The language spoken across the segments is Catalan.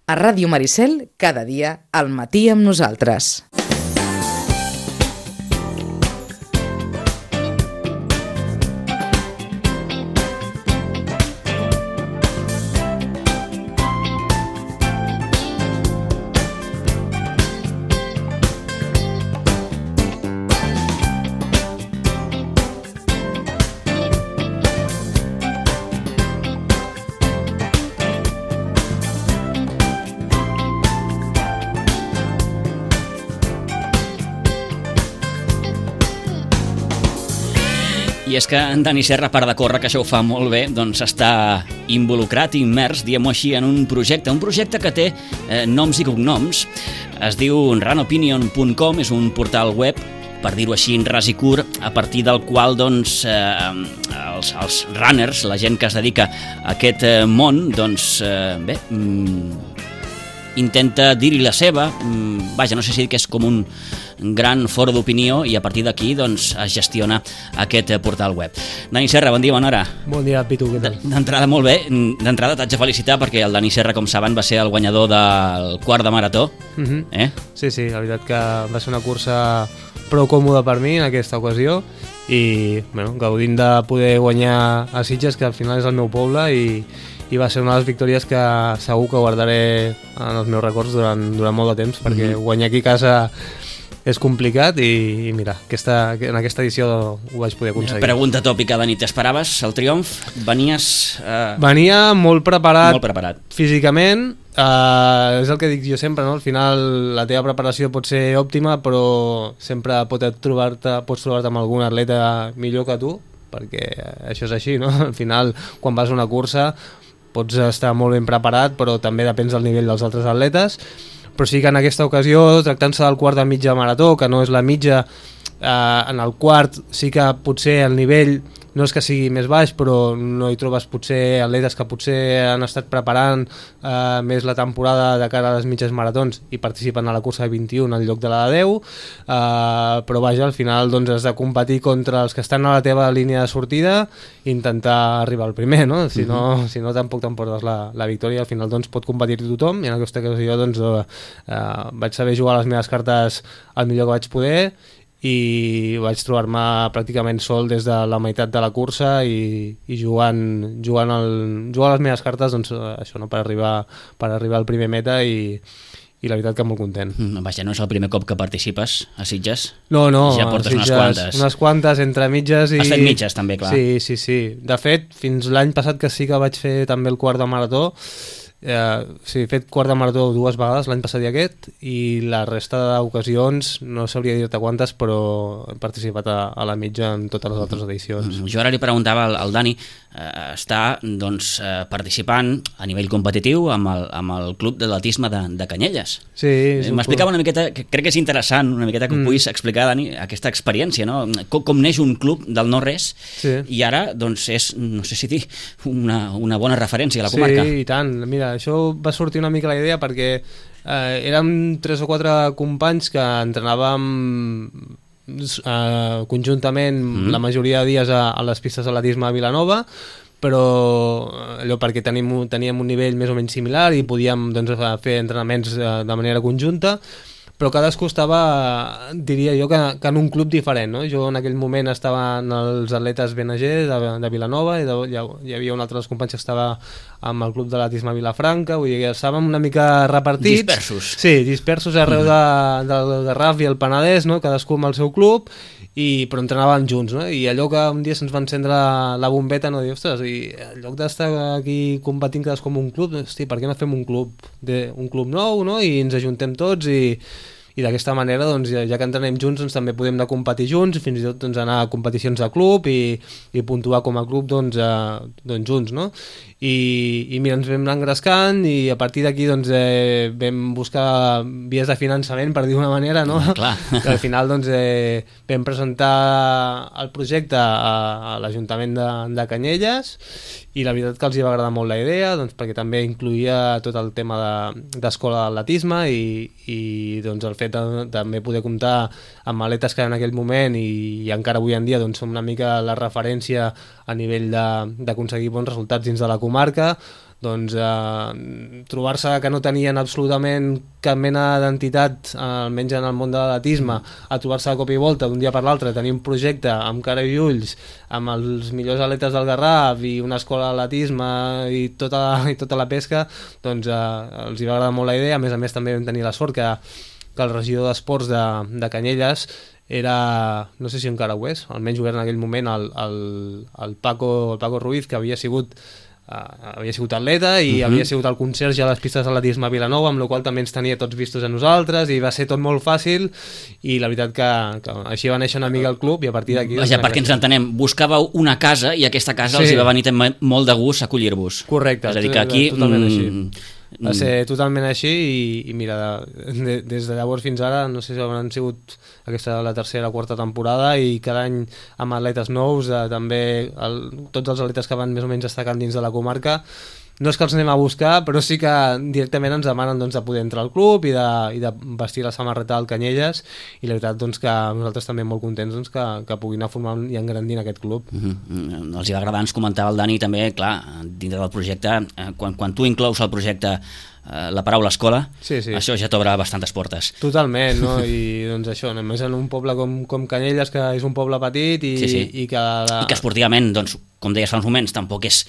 A Ràdio Maricel, cada dia al matí amb nosaltres. I és que en Dani Serra, a part de córrer, que això ho fa molt bé, doncs està involucrat, immers, diguem-ho així, en un projecte que té noms i cognoms. Es diu runopinion.com, és un portal web, per dir-ho així, en ras i curt, a partir del qual doncs, els runners, la gent que es dedica a aquest món, doncs, intenta dir-hi la seva, vaja, no sé si que és com un gran foro d'opinió i a partir d'aquí doncs, es gestiona aquest portal web. Dani Serra, bon dia, bona hora. Bon dia, Pitu, què tal? D'entrada, molt bé. D'entrada t'haig de felicitar perquè el Dani Serra, com saben, va ser el guanyador del quart de marató. Sí, la veritat que va ser una cursa prou còmoda per mi en aquesta ocasió i gaudint de poder guanyar a Sitges, que al final és el meu poble, i va ser una de les victòries que segur que guardaré en els meus records durant molt de temps, perquè guanyar aquí a casa és complicat i mira, en aquesta edició ho vaig poder aconseguir. Pregunta tòpica, Dani, t'esperaves el triomf? Venia molt preparat físicament, és el que dic jo sempre, no? Al final la teva preparació pot ser òptima, però sempre pots trobar-te amb algun atleta millor que tu, perquè això és així, no? Al final, quan vas a una cursa pots estar molt ben preparat, però també depèn del nivell dels altres atletes. Però sí que en aquesta ocasió, tractant-se del quart de mitja marató, que no és la mitja, en el quart sí que potser el nivell no és que sigui més baix, però no hi trobes potser atletes que potser han estat preparant més la temporada de cara a les mitges maratons i participen a la cursa de 21 en lloc de la de 10, però vaja, al final doncs, has de competir contra els que estan a la teva línia de sortida i intentar arribar al primer, no? Si no tampoc t'emportes la victòria, al final doncs, pot competir tothom, i en aquesta ocasió doncs, vaig saber jugar les meves cartes el millor que vaig poder i vaig trobar-me pràcticament sol des de la meitat de la cursa i jugant les meves cartes doncs, això, no? per arribar al primer meta i la veritat que molt content. Vaja, no és el primer cop que participes a Sitges? No, ja portes Sitges, unes quantes entre mitges. Has fet mitges també, clar. Sí. De fet, fins l'any passat que sí que vaig fer també el quart de marató, he fet quart de marató 2 vegades, l'any passat i aquest, i la resta d'ocasions no sabria dir-te quantes, però he participat a la mitja en totes les altres edicions. Jo ara li preguntava al Dani, està doncs, participant a nivell competitiu amb el club d'atletisme de Canyelles. Sí. M'explicava una miqueta, crec que és interessant una miqueta que puguis explicar, Dani, aquesta experiència, no? Com neix un club del no-res i ara doncs, és, no sé si dir, una bona referència a la comarca. Sí, i tant. Mira, això va sortir una mica la idea perquè érem 3 o 4 companys que entrenàvem conjuntament la majoria de dies a les pistes d'atletisme a Vilanova, però allò perquè teníem un nivell més o menys similar i podíem doncs, fer entrenaments de manera conjunta, però cadascú estava, diria jo, que en un club diferent, no? Jo en aquell moment estava en els atletes BNG de Vilanova i hi havia un altre dels companys que estava amb el club d'atletisme Vilafranca, vull dir que estàvem una mica repartits. Dispersos. Sí, dispersos arreu del Garraf i el Penedès, no? Cadascú amb el seu club, però entrenàvem junts, no? I allò que un dia se'ns va encendre la bombeta, no? Dir, ostres, i en lloc d'estar aquí competint cadascú com un club, hosti, per què no fem un club nou, no? I ens ajuntem tots i d'aquesta manera, doncs, ja que entrenem junts, doncs, també podem anar a competir junts, fins i tot doncs, anar a competicions de club i puntuar com a club doncs, junts, no? I mira, ens vam anar engrescant i a partir d'aquí doncs, vam buscar vies de finançament, per dir d'una manera, no? Clar. Que al final doncs, vam presentar el projecte a l'Ajuntament de Canyelles i la veritat que els va agradar molt la idea, doncs, perquè també incluïa tot el tema d'escola d'atletisme i doncs, el fet de també poder comptar amb atletes que en aquell moment i encara avui en dia doncs, són una mica la referència a nivell d'aconseguir bons resultats dins de la comarca, doncs trobar-se que no tenien absolutament cap mena d'entitat, almenys en el món de l'atletisme, a trobar-se de cop i volta d'un dia per l'altre, tenir un projecte amb cara i ulls, amb els millors atletes del Garraf i una escola d'atletisme i tota la pesca, doncs els hi va agradar molt la idea. A més també vam tenir la sort que el regidor d'esports de Canyelles era, no sé si encara ho és, almenys ho era en aquell moment, el Paco Ruiz, que havia sigut atleta i havia sigut el conserge a les pistes d'atletisme a Vilanova, amb la qual també ens tenia tots vistos a nosaltres i va ser tot molt fàcil i la veritat que així va néixer una mica el club i a partir d'aquí... Vaja, perquè ens entenem, buscàveu una casa i aquesta casa els hi va venir molt de gust acollir-vos. Correcte. És a dir, que aquí... Totalment així. Va ser totalment així i mira, des de llavors fins ara no sé si hauran sigut aquesta la tercera o quarta temporada i cada any amb atletes nous, també tots els atletes que van més o menys destacant dins de la comarca. No és que els anem a buscar, però sí que directament ens demanen de poder entrar al club i de vestir la samarreta del Canyelles, i la veritat que nosaltres també molt contents que puguin anar formant i engrandint aquest club. Els hi va agradar, ens comentava el Dani també, clar, dintre del projecte, quan tu inclous al projecte la paraula escola, això ja t'obre bastantes portes. Totalment, no? I doncs això, només en un poble com Canyelles, que és un poble petit i que esportivament, doncs, com deies fa uns moments, tampoc és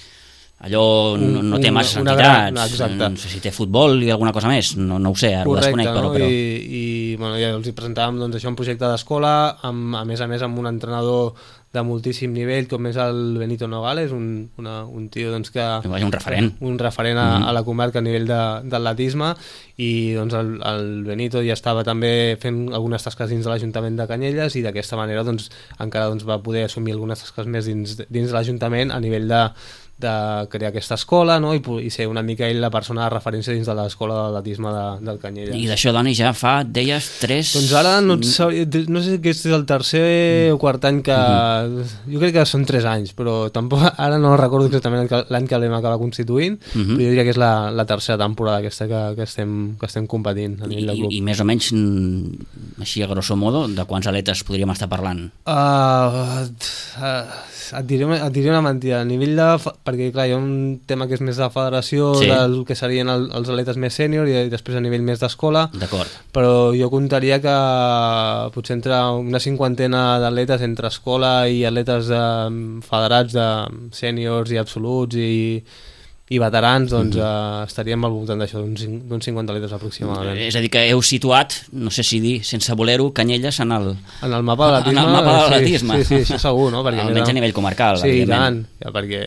allò, no té massa entitats, no sé si té futbol i alguna cosa més, no ho sé, ara ho desconec, però... I ja els hi presentàvem un projecte d'escola, a més amb un entrenador de moltíssim nivell, com és el Benito Nogales, un tio que... Un referent. Un referent a la comarca a nivell d'atletisme, i el Benito ja estava també fent algunes tasques dins de l'Ajuntament de Canyelles, i d'aquesta manera encara va poder assumir algunes tasques més dins de l'Ajuntament a nivell de crear aquesta escola, no? I ser una mica ell la persona de referència dins de l'escola d'atletisme del Canyelles. I d'això, Dani, ja fa, deies, 3... Doncs ara no sé si aquest és el tercer o quart any que... Jo crec que són 3 anys, però tampoc ara no recordo exactament l'any que l'hem acabat constituint, però jo diria que és la tercera temporada aquesta que estem competint a nivell del club. I més o menys, així a grosso modo, de quants atletes podríem estar parlant? Et diré una mentida. A nivell perquè clar, hi ha un tema que és més de federació, del que serien els atletes més sènior, i després a nivell més d'escola. D'acord. Però jo comptaria que potser entre una 50ena d'atletes entre escola i atletes federats de sèniors i absoluts i veterans, estaríem al voltant d'això, d'uns 50 atletes aproximadament. És a dir, que heu situat, no sé si dir, sense voler-ho, Canyelles en el mapa de l'atletisme. Sí, això segur, no? Almenys a nivell comarcal, evidentment. Sí, i tant, perquè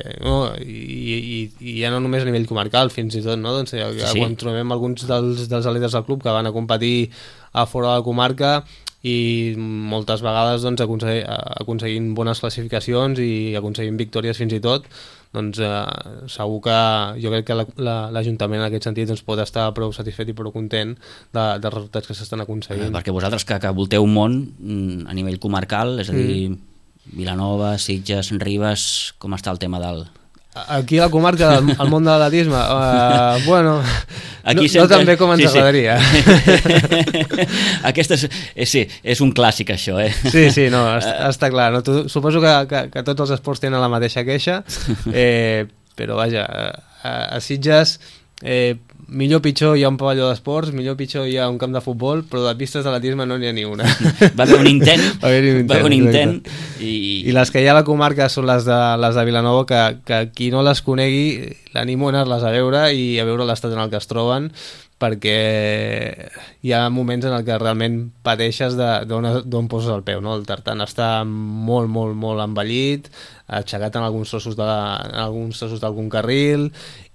i ja no només a nivell comarcal, fins i tot, no? Quan trobem alguns dels atletes del club que van a competir a fora de la comarca, i moltes vegades aconseguint bones classificacions i aconseguint victòries fins i tot, segur que jo crec que l'Ajuntament en aquest sentit pot estar prou satisfet i prou content dels resultats que s'estan aconseguint. Perquè vosaltres que volteu un món a nivell comarcal, és a dir, Vilanova, Sitges, Ribes, com està el tema del... Aquí a la comarca, al món de l'atletisme, bueno, no tan bé com ens agradaria. Aquesta és un clàssic, això, eh? Sí, no, està clar. No? Suposo que tots els esports tenen la mateixa queixa, però vaja, a Sitges... millor pitjor hi ha un pavelló d'esports, millor pitjor hi ha un camp de futbol, però de pistes d'atletisme no n'hi ha ni una. Va haver un intent. I les que hi ha a la comarca són les de Vilanova, que qui no les conegui l'animo a anar-les a veure i a veure l'estat en el que es troben, perquè hi ha moments en què realment pateixes d'on poses el peu, no? El tartan està molt, molt, molt envellit, aixecat en alguns trossos d'algun carril,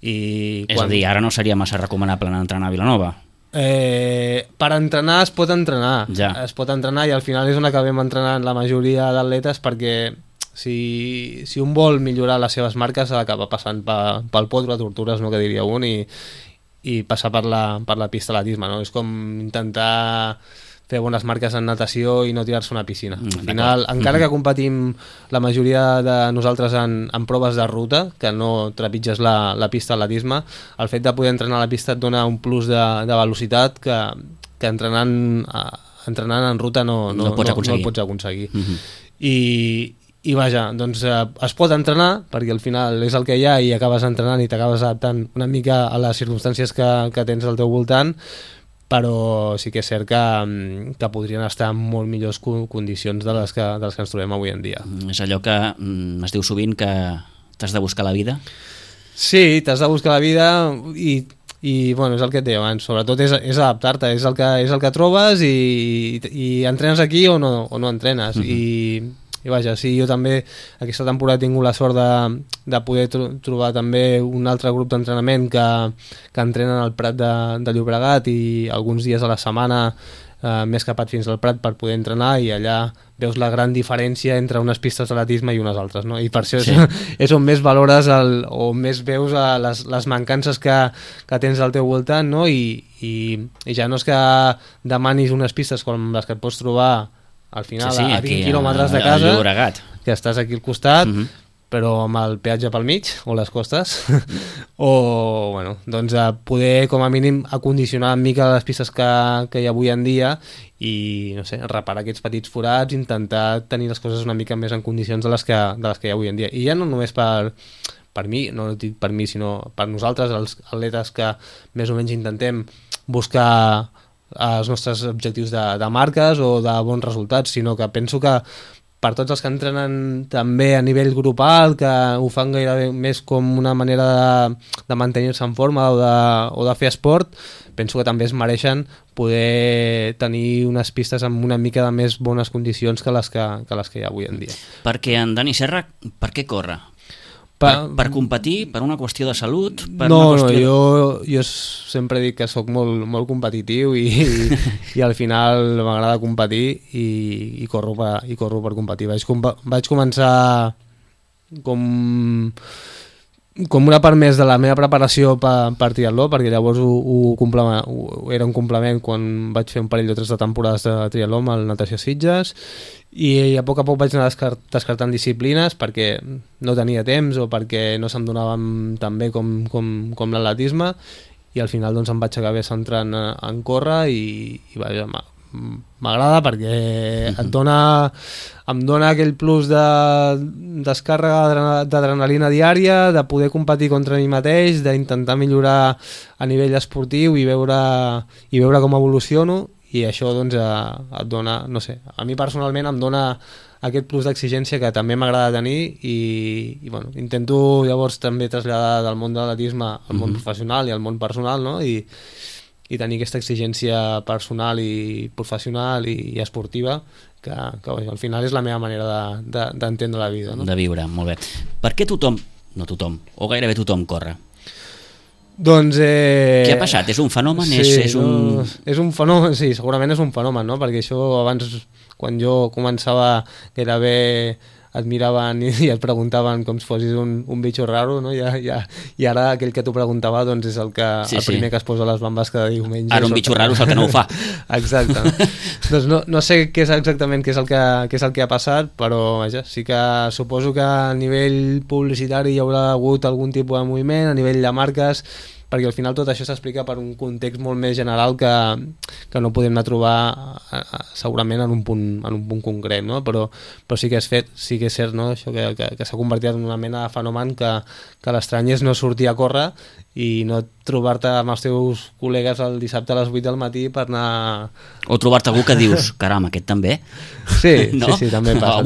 i... És a dir, ara no seria massa recomanable anar a entrenar a Vilanova? Per entrenar es pot entrenar, es pot entrenar, i al final és on acabem entrenant la majoria d'atletes, perquè si un vol millorar les seves marques ha d'acabar passant pel Potro a Tortures, no, que diria un, i passar per la pista d'atletisme, no? És com intentar fer bones marques en natació i no tirar-se a una piscina. Al final, encara que competim la majoria de nosaltres en proves de ruta, que no trepitges la pista d'atletisme, el fet de poder entrenar a la pista et dona un plus de velocitat que entrenant en ruta no pots aconseguir. I vaja, doncs es pot entrenar, perquè al final és el que hi ha i acabes entrenant i t'acabes adaptant una mica a les circumstàncies que tens al teu voltant, però sí que és cert que podrien estar en molt millors condicions de les que ens trobem avui en dia. És allò que es diu sovint que t'has de buscar la vida? Sí, t'has de buscar la vida i bueno, és el que et deia abans, sobretot és adaptar-te, és el que trobes i entrenes aquí o no entrenes. I vaja, sí, jo també aquesta temporada he tingut la sort de poder trobar també un altre grup d'entrenament que entrenen al Prat de Llobregat i alguns dies a la setmana m'he escapat fins al Prat per poder entrenar i allà veus la gran diferència entre unes pistes d'atletisme i unes altres, no? I per això és on més valores o més veus les mancances que tens al teu voltant, no? I ja no és que demanis unes pistes com les que et pots trobar al final a 20 quilòmetres de casa, que estàs aquí al costat, però amb el peatge pel mig, o les costes, o bueno, doncs poder com a mínim acondicionar una mica les pistes que hi ha avui en dia i, no sé, reparar aquests petits forats, intentar tenir les coses una mica més en condicions de les que hi ha avui en dia. I ja no només per mi, no dic per mi, sinó per nosaltres, els atletes que més o menys intentem buscar els nostres objectius de marques o de bons resultats, sinó que penso que per tots els que entrenen també a nivell grupal, que ho fan gairebé més com una manera de mantenir-se en forma o de fer esport, penso que també es mereixen poder tenir unes pistes amb una mica de més bones condicions que les que hi ha avui en dia. Perquè en Dani Serra, per què corre? Per competir? Per una qüestió de salut? Jo sempre dic que sóc molt competitiu i al final m'agrada competir i corro per competir. Vaig començar com una part més de la meva preparació per triatló, perquè llavors era un complement quan vaig fer un parell o 3 de temporades de triatló amb el Natació Sitges, i a poc vaig anar descartant disciplines perquè no tenia temps o perquè no se'm donaven tan bé com l'atletisme, i al final doncs em vaig acabar centrant en córrer i vaja, m'agrada perquè em dona aquell plus de descàrrega d'adrenalina diària, de poder competir contra mi mateix, d'intentar millorar a nivell esportiu i veure com evoluciono, i això doncs et dona, no sé, a mi personalment em dona aquest plus d'exigència que també m'agrada tenir i bueno, intento llavors també traslladar del món de l'atletisme al món professional i al món personal, no? I tenir aquesta exigència personal i professional i esportiva que al final és la meva manera d'entendre la vida, no? De viure, molt bé. Per què no tothom, o gairebé tothom corre? Doncs... Què ha passat? És un fenomen? Sí, és un fenomen, sí, segurament és un fenomen, no? Perquè això abans, quan jo començava, gairebé et miraven i et preguntaven com si fossis un bitxo raro, no? I ara aquell que t'ho preguntava doncs és el primer que es posa les bambes cada diumenge. Ara un bitxo raro és el que no ho fa. Exacte. Doncs no sé què és exactament què és el que ha passat, però vaja, sí que suposo que a nivell publicitari hi haurà hagut algun tipus de moviment, a nivell de marques, perquè al final tot això s'explica per un context molt més general que no podem anar a trobar segurament en un punt concret, no? Però sí que és cert, no? Això que s'ha convertit en una mena de fenomen que l'estrany és no sortir a córrer i no trobar-te amb els teus col·legues el dissabte a les 8 del matí per anar... O trobar-te algú que dius, caram, aquest també? Sí, no? sí, també passa.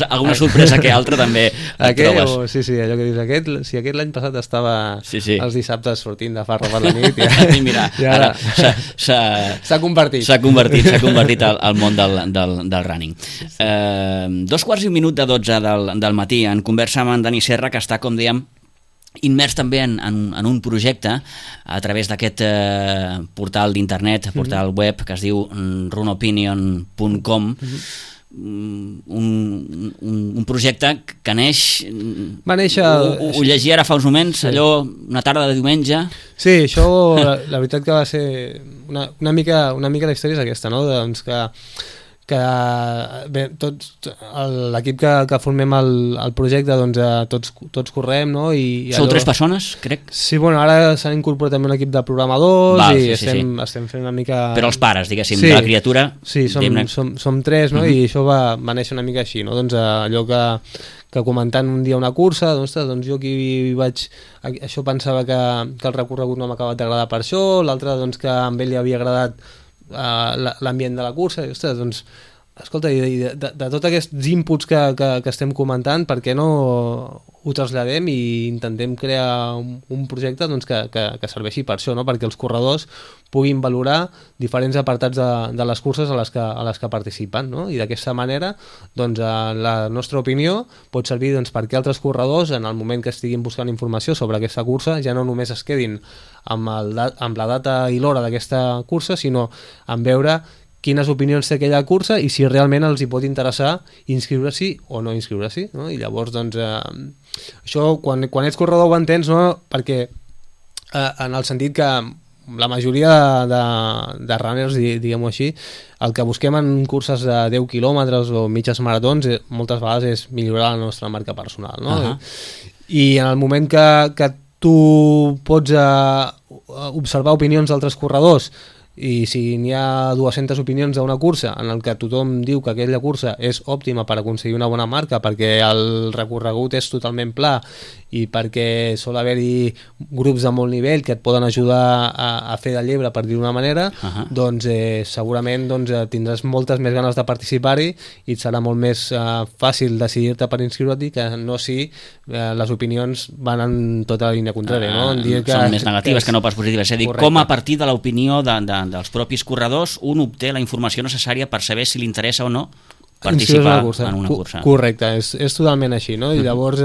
Alguna sorpresa que altre també et trobes. Sí, allò que dius, si aquest l'any passat estava els dissabtes sortint de farra per la nit, i mira, ara s'ha convertit. S'ha convertit al món del running. 2:15 del matí, en conversa amb en Dani Serra, que està, com dèiem, immers també en un projecte a través d'aquest portal d'internet, portal web que es diu runopinion.com, un projecte que neix... Va néixer... Ho llegia ara fa uns moments, allò, una tarda de diumenge. Sí, això la veritat que va ser una mica la història és aquesta, no? Doncs que bé, l'equip que formem el projecte, doncs tots correm, no? Sou 3 persones, crec? Sí, bueno, ara s'han incorporat també un equip de programadors i estem fent una mica... Però els pares, diguéssim, de la criatura... Sí, som 3, no? I això va néixer una mica així, no? Doncs allò que comentant un dia una cursa, doncs jo aquí vaig... Això pensava que el recorregut no m'ha acabat d'agradar per això, l'altre doncs que a ell li havia agradat l'ambient de la cursa, i ostres, doncs escolta, de tots aquests inputs que estem comentant, per què no ho traslladem i intentem crear un projecte doncs, que serveixi per això, no? Perquè els corredors puguin valorar diferents apartats de les curses a les que participen, no? I d'aquesta manera doncs, la nostra opinió pot servir doncs, perquè altres corredors en el moment que estiguin buscant informació sobre aquesta cursa ja no només es quedin amb la data i l'hora d'aquesta cursa, sinó en veure quines opinions té aquella cursa i si realment els hi pot interessar inscriure-s'hi o no inscriure-s'hi, no? I llavors doncs això quan ets corredor ho entens, no? Perquè en el sentit que la majoria de runners, diguem-ho així, el que busquem en curses de 10 quilòmetres o mitges maratons moltes vegades és millorar la nostra marca personal, no? I en el moment que tu pots observar opinions d'altres corredors i si n'hi ha 200 opinions d'una cursa en el que tothom diu que aquella cursa és òptima per aconseguir una bona marca perquè el recorregut és totalment pla i perquè sol haver-hi grups de molt nivell que et poden ajudar a fer de llebre, per dir-ho d'una manera, doncs segurament tindràs moltes més ganes de participar-hi i et serà molt més fàcil decidir-te per inscriure-t'hi que no si les opinions van en tota la línia contrària, no? Són més negatives que no pas positives, és a dir, com a partir de l'opinió dels propis corredors un obté la informació necessària per saber si li interessa o no participar en una cursa. Correcte, és totalment així, no? I llavors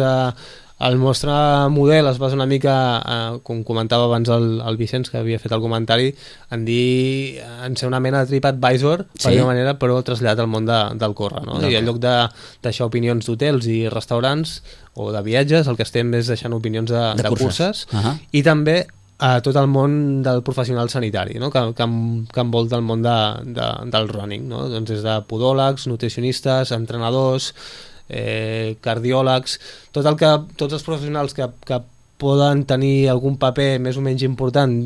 el nostre model es basa una mica, com comentava abans el Vicenç, que havia fet el comentari, en ser una mena de TripAdvisor, per dir-ho manera, però traslladat al món del córrer, no? I en lloc de deixar opinions d'hotels i restaurants o de viatges, el que estem és deixant opinions de curses i també a tot el món del professional sanitari, no? que envolta el món del running, no? Doncs des de podòlegs, nutricionistes, entrenadors, cardiòlegs, tots els professionals que poden tenir algun paper més o menys important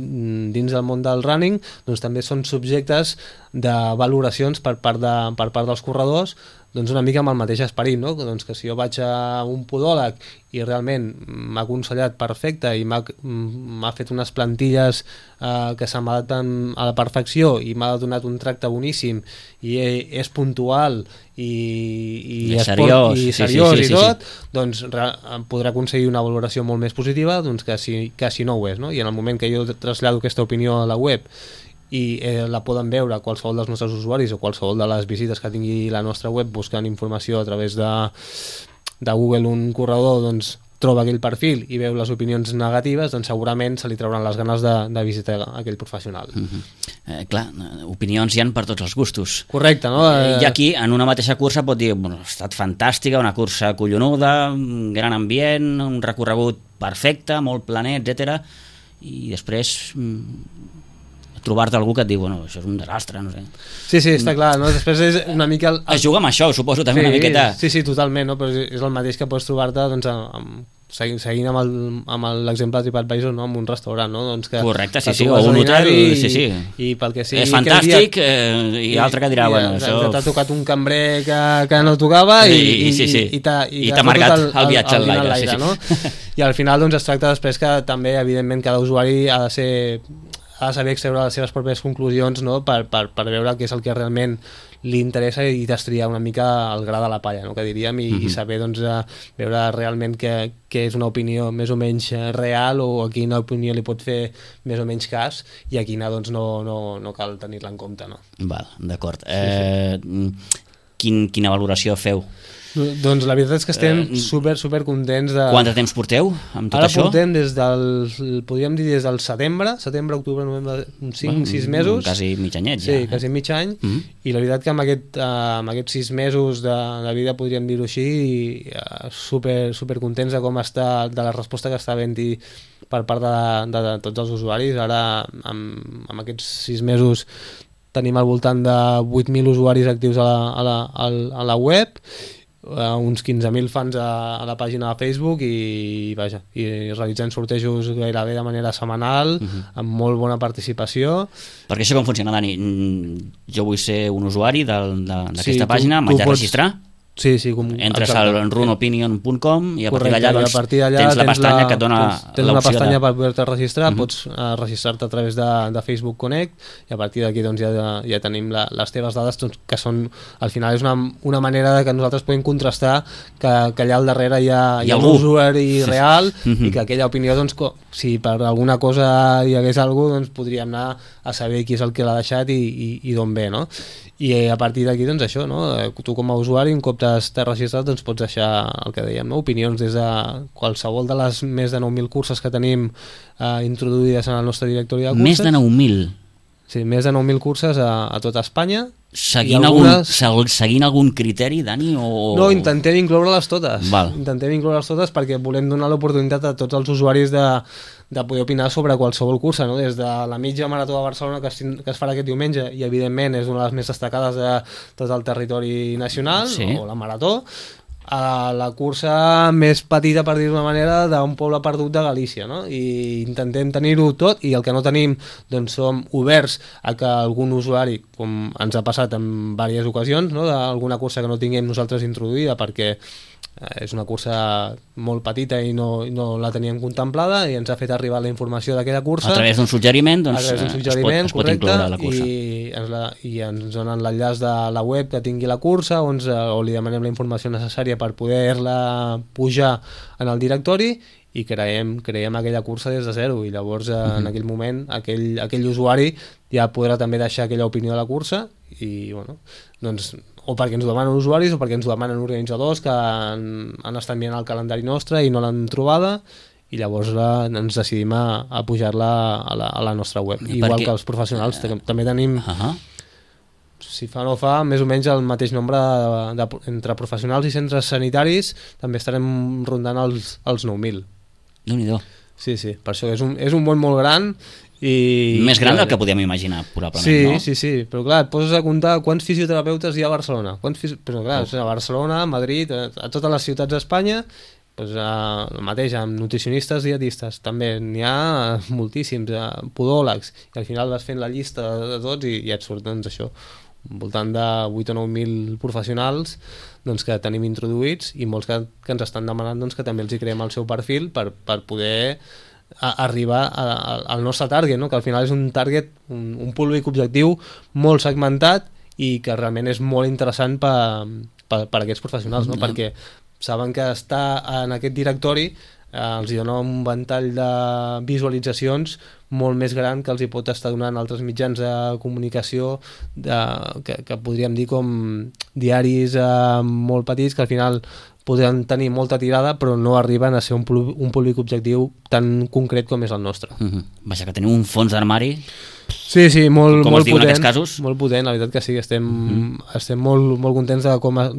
dins del món del running, doncs també són subjectes de valoracions per part dels corredors, doncs una mica amb el mateix esperit, no? Doncs que si jo vaig a un podòleg i realment m'ha aconsellat perfecte i m'ha fet unes plantilles que se m'adapten a la perfecció i m'ha donat un tracte boníssim i és puntual i seriós i tot, doncs podrà aconseguir una valoració molt més positiva doncs que si no ho és, no? I en el moment que jo trasllado aquesta opinió a la web i la poden veure qualsevol dels nostres usuaris o qualsevol de les visites que tingui la nostra web buscant informació a través de Google, un corredor doncs troba aquell perfil i veu les opinions negatives, doncs segurament se li trauran les ganes de visitar aquell professional. Clar, opinions hi ha per tots els gustos. Correcte, no? I aquí, en una mateixa cursa, pot dir, bueno, ha estat fantàstica, una cursa collonuda, un gran ambient, un recorregut perfecte, molt planer, etc. I després trobar-te algú que et diu, bueno, això és un desastre, no sé. Sí, està clar, no? Després és una mica... Es juga amb això, suposo, també una miqueta. Sí, totalment, no? Però és el mateix que pots trobar-te, doncs, seguint amb l'exemple de TripAdvisor, no? Amb un restaurant, no? Doncs que correcte, sí, o un hotel, sí. I pel que sigui... És fantàstic, i altre que dirà, bueno, això... T'ha tocat un cambrer que no tocava i t'ha marcat el viatge al l'aire, no? I al final, doncs, es tracta després que també, evidentment, cada usuari ha de saber extreure les seves pròpies conclusions, no? per veure què és el que realment li interessa i destriar una mica el gra de la palla, no? Que diríem, i saber doncs, veure realment què és una opinió més o menys real o a quina opinió li pot fer més o menys cas i a quina doncs, no cal tenir-la en compte. No? Val, d'acord. Quina valoració feu? Doncs la veritat és que estem super contents de... Quant de temps porteu amb tot això? Ara portem podríem dir des del setembre, octubre, novembre, 5-6 mesos. Quasi mig anyet ja. Sí, quasi mig any. I la veritat que amb aquests 6 mesos de vida, podríem dir-ho així, super contents de com està, de la resposta que està havent-hi per part de tots els usuaris. Ara, amb aquests 6 mesos, tenim al voltant de 8.000 usuaris actius a la web, uns 15.000 fans a la pàgina de Facebook i realitzant sortejos gairebé de manera setmanal, amb molt bona participació. Perquè això com funciona, Dani? Jo vull ser un usuari d'aquesta pàgina, m'haig de registrar? Sí, entres al runopinion.com i a partir d'allà tens la pestanya que et dona l'opció. Tens una pestanya per poder-te registrar, pots registrar-te a través de Facebook Connect i a partir d'aquí ja tenim les teves dades, que són, al final és una manera que nosaltres podem contrastar que allà al darrere hi ha un usuari real i que aquella opinió, si per alguna cosa hi hagués alguna cosa, doncs podríem anar a saber qui és el que l'ha deixat i d'on ve, no? I a partir d'aquí, doncs això, no? Tu com a usuari, un cop t'has registrat, doncs pots deixar el que dèiem, no? Opinions des de qualsevol de les més de 9.000 curses que tenim introduïdes en el nostre directori de curses. Més de 9.000? Sí, més de 9.000 curses a tota Espanya. Seguint algun criteri, Dani? No, intentem incloure-les totes. Val. Intentem incloure-les totes perquè volem donar l'oportunitat a tots els usuaris de poder opinar sobre qualsevol cursa, no? Des de la mitja marató de Barcelona que es farà aquest diumenge i evidentment és una de les més destacades de tot el territori nacional, sí. O la marató, a la cursa més petita, per dir-ho d'una manera, d'un poble perdut de Galícia, no? I intentem tenir-ho tot i el que no tenim, doncs som oberts a que algun usuari, com ens ha passat en diverses ocasions, no? D'alguna cursa que no tinguem nosaltres introduïda perquè és una cursa molt petita i no la teníem contemplada i ens ha fet arribar la informació d'aquella cursa a través d'un suggeriment, doncs es pot incloure a la cursa i ens donen l'enllaç de la web que tingui la cursa o li demanem la informació necessària per poder-la pujar en el directori i creiem aquella cursa des de zero i llavors en aquell moment aquell usuari ja podrà també deixar aquella opinió de la cursa i bueno, doncs o perquè ens ho demanen usuaris o perquè ens ho demanen organitzadors que han estat mirant el calendari nostre i no l'han trobada i llavors ens decidim a pujar-la a la nostra web. Igual que els professionals, també tenim si fa o no fa, més o menys el mateix nombre entre professionals i centres sanitaris, també estarem rondant els 9.000. Déu-n'hi-do. Sí, per això és un món molt gran més gran del que podíem imaginar, probablement, no? Sí, però clar, et poses a comptar quants fisioterapeutes hi ha a Barcelona, però clar, a Barcelona, a Madrid, a totes les ciutats d'Espanya, doncs el mateix, amb nutricionistes, dietistes, també n'hi ha moltíssims, podòlegs, i al final vas fent la llista de tots i et surt, doncs això, al voltant de 8 o 9.000 professionals doncs, que tenim introduïts i molts que ens estan demanant doncs, que també els hi creem el seu perfil per poder arribar al nostre target, no? Que al final és un target, un públic objectiu molt segmentat i que realment és molt interessant per aquests professionals, no? Perquè saben que estar en aquest directori els dona un ventall de visualitzacions molt més gran que els hi pot estar donant altres mitjans de comunicació que podríem dir com diaris molt petits que al final podran tenir molta tirada però no arriben a ser un públic objectiu tan concret com és el nostre. Vaja, que teniu un fons d'armari. Sí, molt potent. En aquests casos? Molt potent, la veritat que sí, estem molt contents de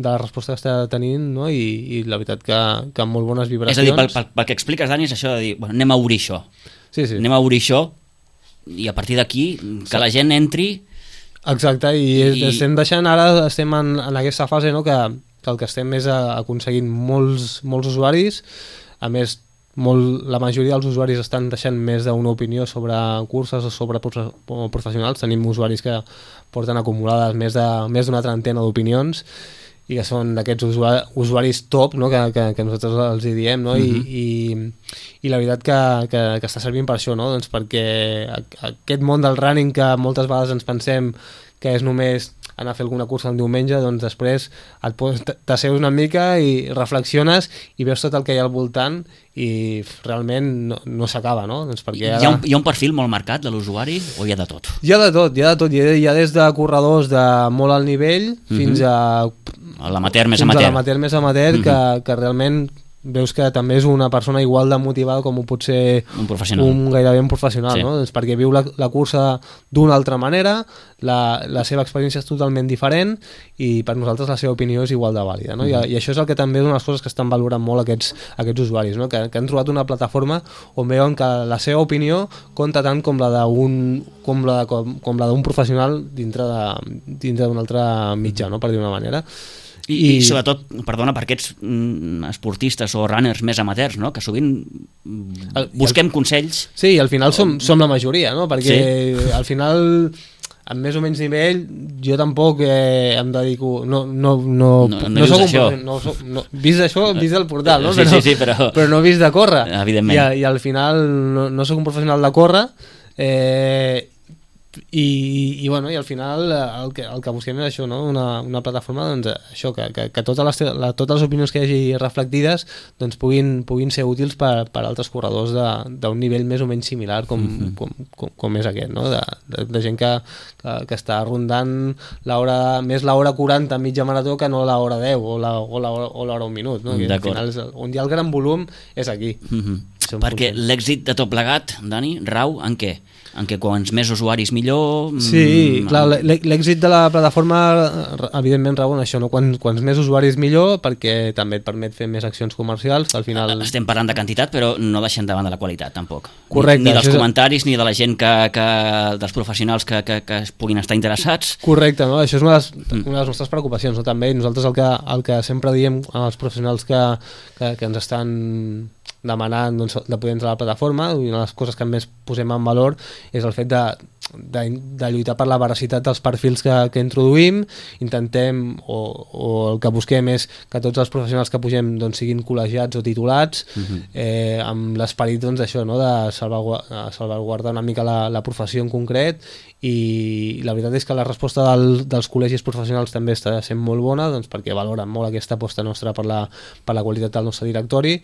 la resposta que està tenint, no? I la veritat que amb molt bones vibracions. És a dir, pel que expliques, Dani, és això de dir, bueno, anem a obrir això. Sí. Anem a obrir això i a partir d'aquí que la gent entri. Exacte, i estem deixant ara, estem en aquesta fase, no?, que el que estem és aconseguint molts usuaris, a més la majoria dels usuaris estan deixant més d'una opinió sobre curses o sobre professionals. Tenim usuaris que porten acumulades més d'una trentena d'opinions i que són d'aquests usuaris top, no? que nosaltres els hi diem, no? I la veritat que està servint per això, no? Doncs perquè aquest món del running que moltes vegades ens pensem que és només anar a fer alguna cursa un diumenge, doncs després t'asseus una mica i reflexiones i veus tot el que hi ha al voltant i realment no s'acaba, no? Doncs perquè hi ha un perfil molt marcat de l'usuari o hi ha de tot? Hi ha de tot, hi ha des de corredors de molt alt nivell fins a l'amateur més amateur, que realment veus que també és una persona igual de motivada com ho pot ser gairebé un professional, sí. No? Doncs perquè viu la cursa d'una altra manera, la seva experiència és totalment diferent i per nosaltres la seva opinió és igual de vàlida, no? I això és el que també és una de les coses que estan valorant molt aquests usuaris, no? Que han trobat una plataforma on veuen que la seva opinió compta tant com la d'un professional dintre d'un altre mitjà, no? Per dir una manera. I sobretot, perdona, per aquests esportistes o runners més amateurs, no? Que sovint busquem consells. Sí, i al final som la majoria, no? Perquè sí. Al final, amb més o menys nivell, jo tampoc em dedico... No dius això. Vist això, vist el portal, no? Sí, però no vist de córrer. Evidentment. I al final no soc un professional de córrer, i al final el que busquem és això, no? Una plataforma, doncs, això, que totes les opinions que hi hagi reflectides doncs, puguin ser útils per altres corredors d'un nivell més o menys similar com és aquest, no? De gent que està rondant més l'hora 40 a mitja marató que no l'hora 10 o l'hora 1 minut, no? Al final on hi ha el gran volum és aquí. Perquè l'èxit de tot plegat, Dani, rau en què? En què quants més usuaris millor... Sí, clar, l'èxit de la plataforma evidentment rau en això, no? Quants més usuaris millor, perquè també et permet fer més accions comercials, al final... Estem parlant de quantitat, però no deixem de banda la qualitat, tampoc. Correcte. Ni dels comentaris, ni de la gent dels professionals que es puguin estar interessats. Correcte, no? Això és una de les nostres preocupacions, no? També nosaltres el que sempre diem als professionals que ens estan demanant, doncs, de poder entrar a la plataforma, i una de les coses que més posem en valor és el fet de lluitar per la veracitat dels perfils que introduïm. Intentem, o el que busquem és que tots els professionals que pugem doncs, siguin col·legiats o titulats, amb l'esperit, doncs, això, no? De salvaguardar una mica la professió en concret, i la veritat és que la resposta dels col·legis professionals també està sent molt bona, doncs, perquè valoren molt aquesta aposta nostra per la qualitat del nostre directori.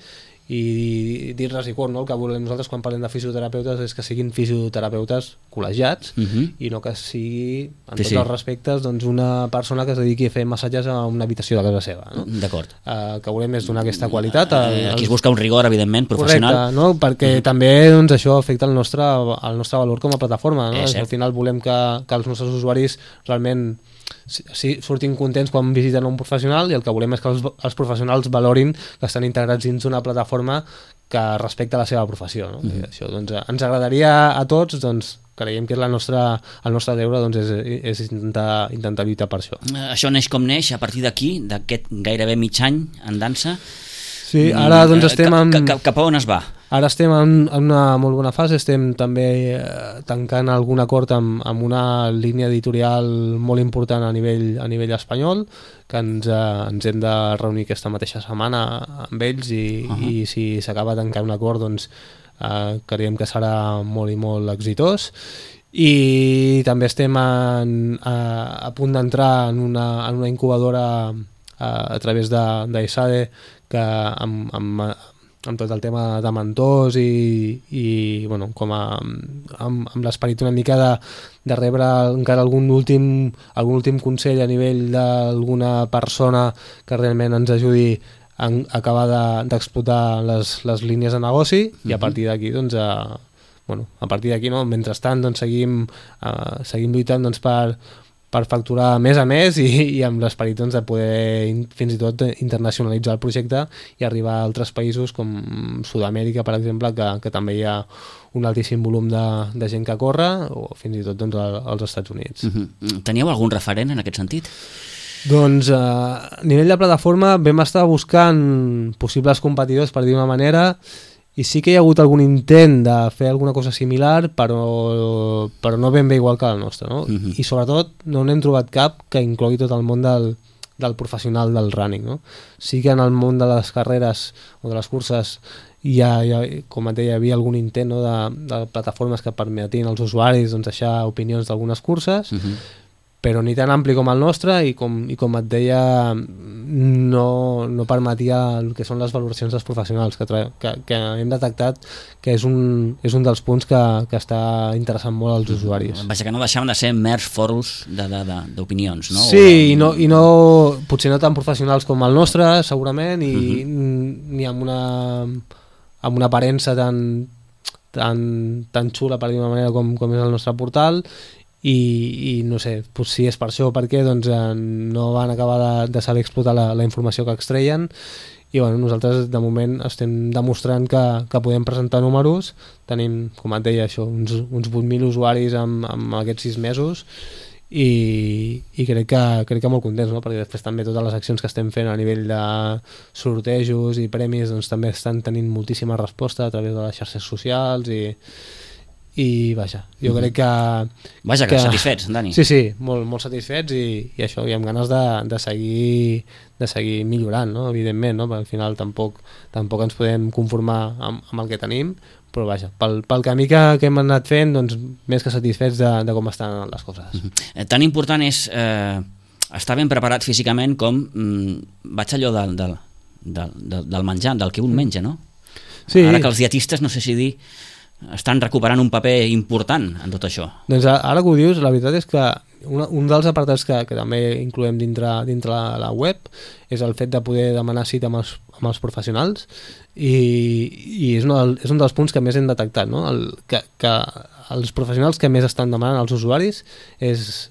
I dir-les i cor, no? El que volem nosaltres quan parlem de fisioterapeutes és que siguin fisioterapeutes col·legiats i no que sigui, en tots els respectes, doncs, una persona que es dediqui a fer massatges a una habitació de casa seva, no? D'acord. Que volem és donar aquesta qualitat. Aquí es busca un rigor, evidentment, professional. Correcte, no? Perquè també, doncs, això afecta el nostre valor com a plataforma, no? Al final volem que els nostres usuaris realment surtin contents quan visiten un professional, i el que volem és que els professionals valorin que estan integrats dins d'una plataforma que respecta la seva professió, no? I això, doncs, ens agradaria a tots, doncs, creiem que és el nostre deure, doncs, és intentar lluitar per això. Això neix com neix, a partir d'aquí, d'aquest gairebé mig any en dansa. Sí, ara doncs estem cap a on es va? Ara estem en una molt bona fase, estem també tancant algun acord amb una línia editorial molt important a nivell espanyol, que ens hem de reunir aquesta mateixa setmana amb ells, i si s'acaba tancant un acord, doncs creiem que serà molt i molt exitós. I també estem a punt d'entrar en una incubadora a través d'ESADE, que amb tot el tema de mentors i bueno, com amb l'esperit una mica de rebre encara algun últim consell a nivell d'alguna persona que realment ens ajudi a acabar d'explotar les línies de negoci, i a partir d'aquí, doncs, a partir d'aquí, no? Mentrestant, doncs, seguim lluitant, doncs, per facturar més a més, i amb l'esperit, doncs, de poder fins i tot internacionalitzar el projecte i arribar a altres països com Sud-amèrica, per exemple, que també hi ha un altíssim volum de gent que corre, o fins i tot, doncs, als Estats Units. Teníeu algun referent en aquest sentit? Doncs a nivell de plataforma vam estar buscant possibles competidors, per dir una manera, i sí que hi ha hagut algun intent de fer alguna cosa similar, però no ben bé igual que el nostre, no? I sobretot no n'hem trobat cap que inclogui tot el món del professional del running, no? Sí que en el món de les carreres o de les curses com et deia, hi havia algun intent, no? de plataformes que permetien als usuaris, doncs, deixar opinions d'algunes curses, però ni tan ampli com el nostre i com et deia no permetia el que són les valoracions dels professionals que hem detectat que és un dels punts que està interessant molt als usuaris. Vaja, que no deixaven de ser mers fòrums d'opinions, no? Sí, i no potser no tan professionals com el nostre segurament i ni amb una aparença tan xula per dir d'una manera com és el nostre portal i no sé, si és per això o per què doncs no van acabar de saber explotar la informació que extreien i bueno, nosaltres de moment estem demostrant que podem presentar números, tenim, com et deia això, uns 8.000 usuaris amb aquests 6 mesos i crec que molt contents, no? Perquè després també totes les accions que estem fent a nivell de sortejos i premis doncs també estan tenint moltíssima resposta a través de les xarxes socials i vaja, jo crec que... Vaja, que satisfets, Dani. Sí, molt satisfets i això, i amb ganes de seguir millorant, no? Evidentment, no? Perquè al final tampoc ens podem conformar amb el que tenim, però vaja, pel camí que hem anat fent, doncs més que satisfets de com estan les coses. Tan important és estar ben preparat físicament com vaig allò del menjar, del que un menja, no? Sí. Ara que els dietistes, no sé si dir, estan recuperant un paper important en tot això. Doncs ara que ho dius, la veritat és que un dels apartats que també incloem dintre la web és el fet de poder demanar cita amb els professionals i és un dels punts que més hem detectat, no? Que els professionals que més estan demanant als usuaris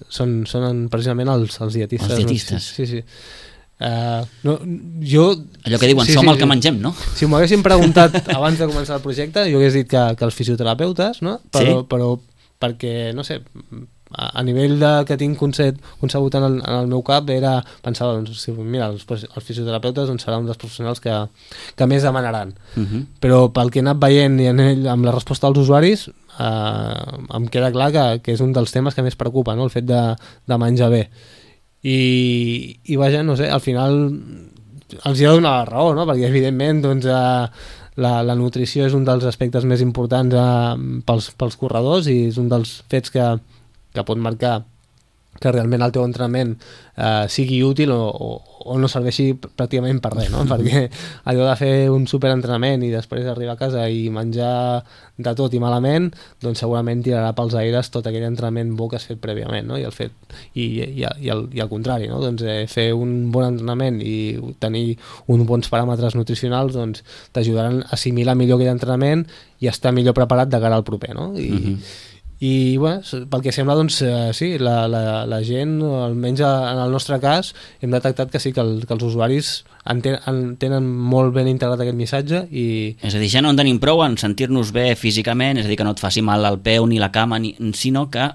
són precisament els dietistes. Els dietistes. No? Sí. Allò que diuen, som el que mengem, no? Si m'ho haguessin preguntat abans de començar el projecte jo hagués dit que els fisioterapeutes, no? Però perquè, no sé, a nivell que tinc concebut en el meu cap era pensar, doncs, mira, els fisioterapeutes doncs, seran un dels professionals que més demanaran. Però pel que he anat veient i amb la resposta dels usuaris em queda clar que és un dels temes que més preocupa, no? El fet de menjar bé. I vaja, no sé, al final els hi ha de donar la raó, no? Perquè evidentment doncs, la nutrició és un dels aspectes més importants pels corredors i és un dels fets que pot marcar que realment el teu entrenament sigui útil o no serveixi pràcticament per res, no? Perquè allò de fer un superentrenament i després arribar a casa i menjar de tot i malament, doncs segurament tirarà pels aires tot aquell entrenament bo que has fet prèviament, no? I al contrari, no? Doncs fer un bon entrenament i tenir uns bons paràmetres nutricionals doncs t'ajudaran a assimilar millor aquell entrenament i estar millor preparat de cara al proper, no? I bueno, pel que sembla doncs sí, la gent, almenys en el nostre cas hem detectat que sí, que els usuaris tenen molt ben integrat aquest missatge és a dir, ja no en tenim prou en sentir-nos bé físicament, és a dir, que no et faci mal el peu ni la cama, sinó que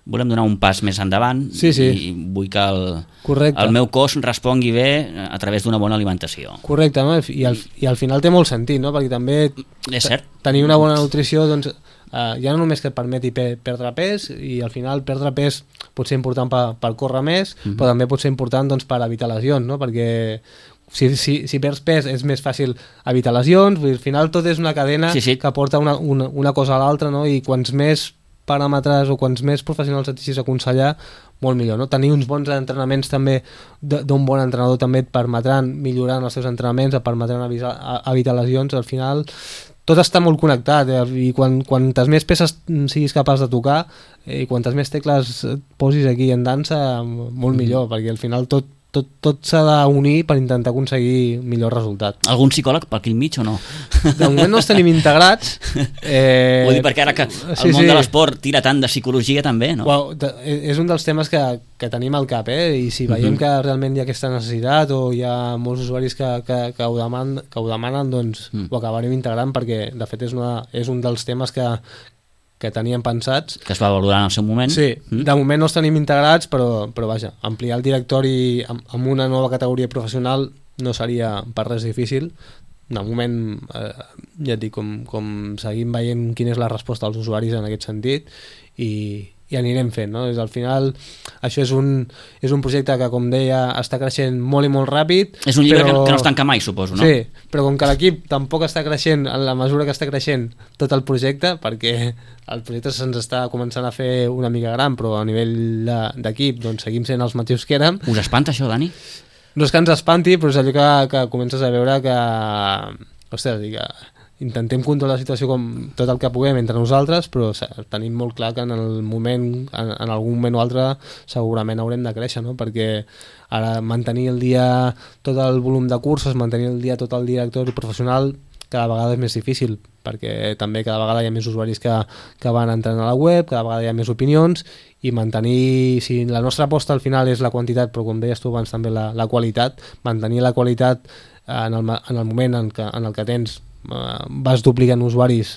volem donar un pas més endavant. Sí. I vull que el meu cos respongui bé a través d'una bona alimentació. Correcte, no? I al final té molt sentit, no? Perquè també és cert. Tenir una bona nutrició doncs ja no només que et permeti perdre pes i al final perdre pes pot ser important per córrer més, però també pot ser important doncs, per evitar lesions, no? Perquè si perds pes és més fàcil evitar lesions, al final tot és una cadena que porta una cosa a l'altra, no? I quants més paràmetres o quants més professionals et deixis aconsellar, molt millor, no? Tenir uns bons entrenaments també d'un bon entrenador també et permetran millorar els teus entrenaments, et permetran evitar lesions, al final tot està molt connectat i quantes més peces siguis capaç de tocar i quantes més tecles posis aquí en dansa, molt millor, perquè al final tot s'ha d'unir per intentar aconseguir millor resultat. Algun psicòleg per aquí al mig o no? De moment no els tenim integrats. Vull dir, perquè ara que el món de l'esport tira tant de psicologia també, no? És un dels temes que tenim al cap, i si veiem que realment hi ha aquesta necessitat o hi ha molts usuaris que ho demanen, doncs ho acabarem integrant, perquè de fet és un dels temes que teníem pensats. Que es va valorar en el seu moment. Sí, de moment no els tenim integrats, però vaja, ampliar el directori amb una nova categoria professional no seria per res difícil. De moment, ja et dic, com seguim veient quina és la resposta dels usuaris en aquest sentit i anirem fent, no? Al final això és un projecte que, com deia, està creixent molt i molt ràpid. És un llibre que no es tanca mai, suposo, no? Sí, però com que l'equip tampoc està creixent en la mesura que està creixent tot el projecte, perquè el projecte se'ns està començant a fer una mica gran, però a nivell d'equip doncs seguim sent els mateixos que érem. Us espanta això, Dani? No és que ens espanti, però és allò que comences a veure que... Ostres, intentem controlar la situació com tot el que puguem entre nosaltres, però tenim molt clar que en algun moment o altre segurament haurem de créixer, no? Perquè ara mantenir el dia tot el volum de cursos, mantenir el dia tot el director professional cada vegada és més difícil, perquè també cada vegada hi ha més usuaris que van entrant a la web, cada vegada hi ha més opinions, i mantenir, si la nostra aposta al final és la quantitat, però com deies tu abans també la qualitat, mantenir la qualitat en el moment en el que tens vas duplicant usuaris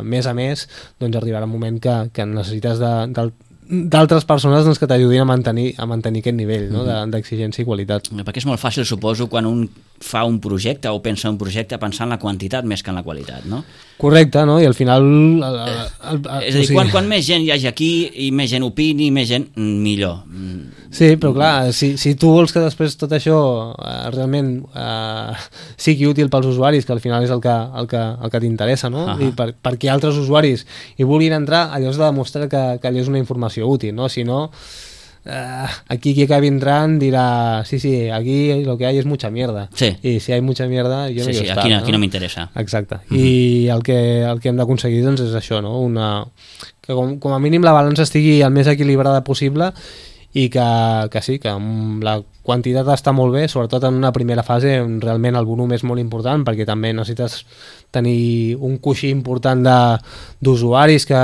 mes a mes, doncs arribarà un moment que necessites d'altres persones doncs, que t'ajudin a mantenir aquest nivell, no? D'exigència i qualitat. Perquè és molt fàcil, suposo, quan un fa un projecte o pensa un projecte pensar en la quantitat més que en la qualitat, no? Correcte, no? I al final... és a dir, quan més gent hi hagi aquí i més gent opini, més gent, millor. Sí, però clar, si tu vols que després tot això realment sigui útil pels usuaris, que al final és el que t'interessa, no? I perquè altres usuaris hi vulguin entrar, allò has de demostrar que allò és una informació útil, no? Si no... aquí qui acabi entrant dirà sí, aquí lo que hay es mucha mierda, y si hay mucha mierda yo no quiero estar, aquí no m'interessa. Exacte, i el que hem d'aconseguir doncs és això, no? Que com a mínim la balança estigui el més equilibrada possible i que sí, que la quantitat està molt bé, sobretot en una primera fase on realment el volum és molt important, perquè també necessites tenir un coixí important d'usuaris que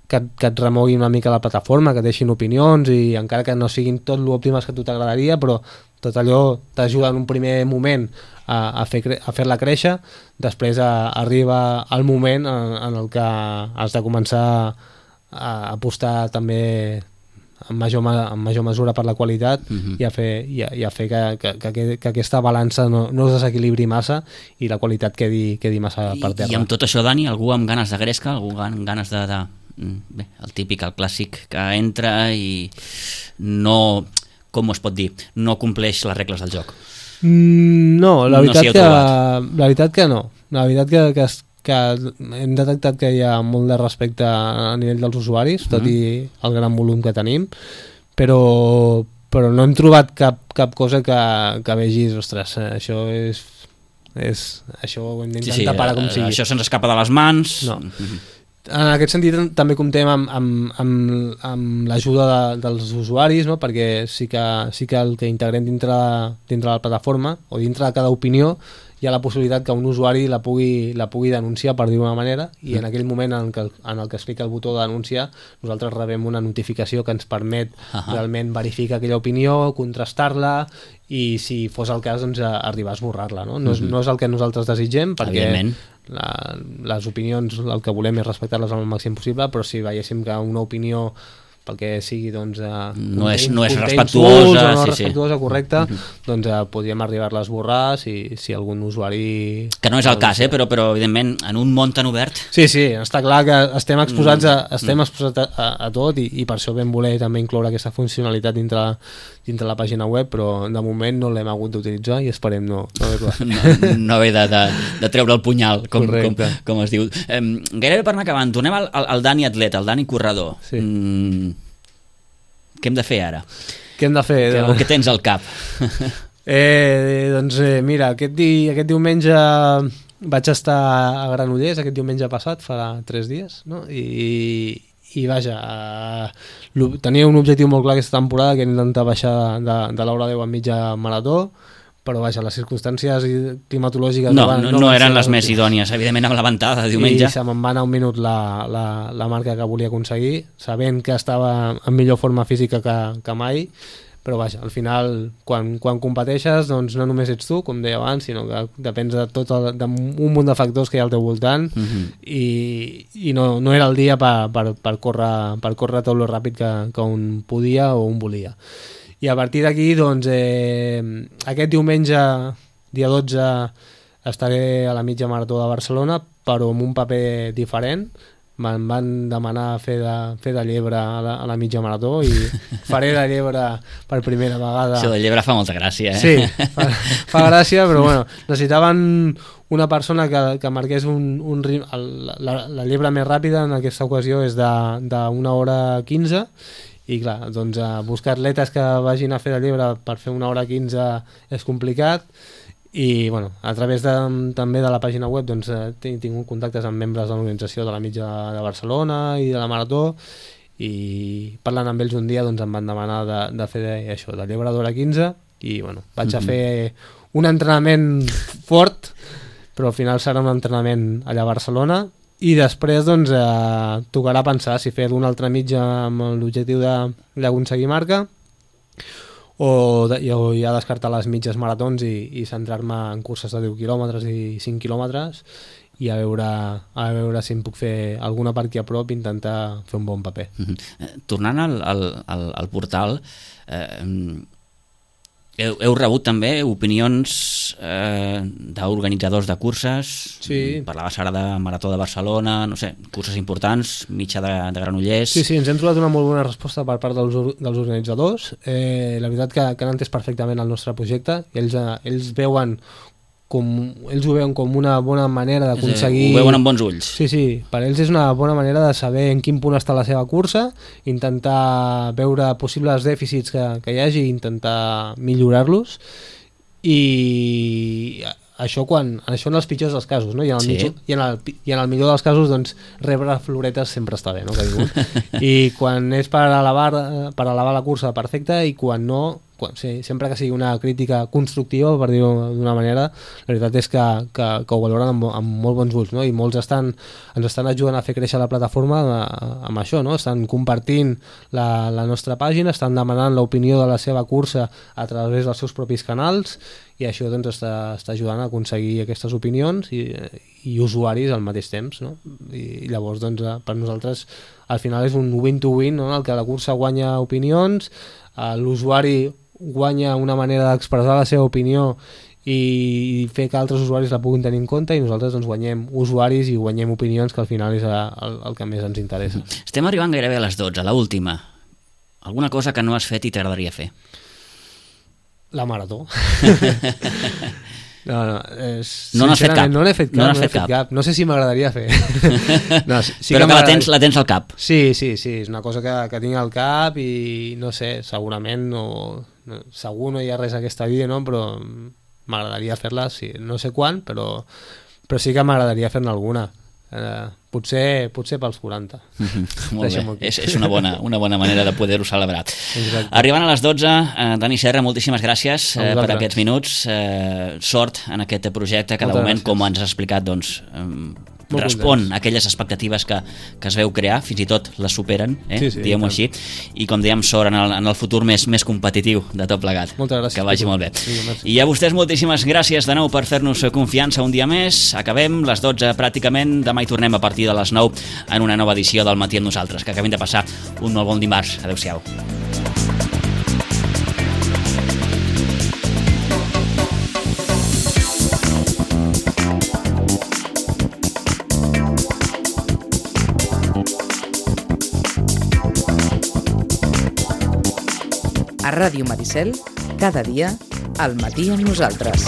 et remoguin una mica la plataforma, que deixin opinions, i encara que no siguin tot l'òptimes que a tu t'agradaria, però tot allò t'ajuda en un primer moment a fer-la créixer. Després arriba el moment en el que has de començar a apostar també en major mesura per la qualitat i a fer que aquesta balança no es desequilibri massa i la qualitat quedi massa per terra. I amb tot això, Dani, algú amb ganes de gresca, algú amb ganes de bé, el típic, el clàssic, que entra i no, com es pot dir, no compleix les regles del joc? No, la veritat que no. La veritat que hem detectat que hi ha molt de respecte a nivell dels usuaris, tot i el gran volum que tenim, però no hem trobat cap cosa que vegis, ostres, això això ho hem d'intentar parar com sigui. Això se'ns escapa de les mans. No. En aquest sentit també comptem amb l'ajuda dels usuaris, no? Perquè sí que el que integrem dintre la plataforma o dintre de cada opinió hi ha la possibilitat que un usuari la pugui denunciar, per dir-ho d'una manera, i en aquell moment en el que es clica el botó de denunciar nosaltres rebem una notificació que ens permet realment verificar aquella opinió, contrastar-la i, si fos el cas, doncs, arribar a esborrar-la, no? No és el que nosaltres desitgem, perquè les opinions el que volem és respectar-les al màxim possible, però si veiéssim que una opinió perquè sigui doncs, no és respectuosa, respectuosa, correcta, doncs podríem arribar-la a esborrar si algun usuari... Que no és el cas, però evidentment en un món tan obert... Sí, està clar que estem exposats a tot i per això vam voler també incloure aquesta funcionalitat dintre la pàgina web, però de moment no l'hem hagut d'utilitzar i esperem no haver-la. No haver de treure el punyal, com es diu. Gairebé per anar acabant, tornem al Dani atleta, al Dani corredor. Sí. Què hem de fer ara? Què hem de fer? Què tens al cap? Doncs mira, aquest diumenge vaig estar a Granollers, aquest diumenge passat, fa 3 dies, no? I vaja, tenia un objectiu molt clar aquesta temporada, que era intentar baixar de l'hora 10 a mitja marató, però vaja, les circumstàncies climatològiques no eren les més idònies, evidentment, amb la ventada de diumenge. I se me'n va anar un minut la marca que volia aconseguir, sabent que estava en millor forma física que mai, però vaja, al final, quan competeixes, doncs no només ets tu, com deia abans, sinó que depens d'un munt de factors que hi ha al teu voltant, i no era el dia per córrer tot lo ràpid que un podia o un volia. I a partir d'aquí, doncs, aquest diumenge, dia 12, estaré a la mitja marató de Barcelona, però amb un paper diferent. me'n van demanar fer de llebre a la mitja marató i faré de llebre per primera vegada. Això de llebre fa molta gràcia, eh? Sí, fa gràcia, però bueno, necessitaven una persona que marqués un ritme. La llebre més ràpida en aquesta ocasió és d'1 hora 15, i clar, doncs buscar atletes que vagin a fer de llebre per fer 1 hora 15 és complicat. I bueno, a través també de la pàgina web doncs, he tingut contactes amb membres de l'organització de la mitja de Barcelona i de la marató, i parlant amb ells un dia doncs, em van demanar de fer això, de llebre d'hora 15, i bueno, vaig a fer un entrenament fort, però al final serà un entrenament allà a Barcelona, i després doncs, tocarà pensar si fer una altra mitja amb l'objectiu d'aconseguir marca, o ja descartar les mitges maratons i centrar-me en curses de 10 quilòmetres i 5 quilòmetres, i a veure si em puc fer alguna per aquí a prop i intentar fer un bon paper. Tornant al portal, heu rebut també opinions d'organitzadors de curses. Sí. Parlaves ara de Marató de Barcelona, no sé, curses importants, mitja de Granollers. Sí, ens hem trobat una molt bona resposta per part dels organitzadors. La veritat que han entès perfectament el nostre projecte, i ells ho veuen com una bona manera d'aconseguir... Ho veuen amb bons ulls. Sí, per ells és una bona manera de saber en quin punt està la seva cursa, intentar veure possibles dèficits que hi hagi i intentar millorar-los, i això en els pitjors dels casos, no? I en el millor dels casos doncs, rebre floretes sempre està bé, no? I quan és per elevar la cursa, perfecte, i quan no, sempre que sigui una crítica constructiva, per dir-ho d'una manera, la veritat és que ho valoren amb molt bons ulls, no? I molts ens estan ajudant a fer créixer la plataforma amb això, no? Estan compartint la nostra pàgina, estan demanant l'opinió de la seva cursa a través dels seus propis canals, i això doncs, està ajudant a aconseguir aquestes opinions i usuaris al mateix temps, no? I llavors doncs, per nosaltres al final és un win-to-win, no? En el que la cursa guanya opinions, l'usuari guanya una manera d'expressar la seva opinió i fer que altres usuaris la puguin tenir en compte, i nosaltres doncs, guanyem usuaris i guanyem opinions, que al final és el que més ens interessa. Estem arribant gairebé a les 12, a l'última. Alguna cosa que no has fet i t'agradaria fer? La marató. No n'has fet cap. No n'he fet cap. No sé si m'agradaria fer. Però que la tens al cap. Sí, és una cosa que tinc al cap, i no sé, segurament segur no hi ha res a aquesta vida, no? Però m'agradaria fer-la, sí. No sé quan, però sí que m'agradaria fer-ne alguna. Potser pels 40. Molt bé, és una bona manera de poder-ho celebrar. Exacte. Arribant a les 12, Dani Serra, moltíssimes gràcies per aquests minuts. Sort en aquest projecte, que de moment, com ens has explicat, doncs, respon a aquelles expectatives que es veu crear, fins i tot les superen, diguem-ho així, i com dèiem, sort en el futur més competitiu de tot plegat. Moltes gràcies. Que vagi molt bé. I a vostès moltíssimes gràcies de nou per fer-nos confiança un dia més. Acabem les 12 pràcticament, demà hi tornem a partir de les 9 en una nova edició del Matí amb nosaltres. Que acabem de passar un molt bon dimarts. Adéu-siau. A Ràdio Maricel, cada dia, al matí amb nosaltres.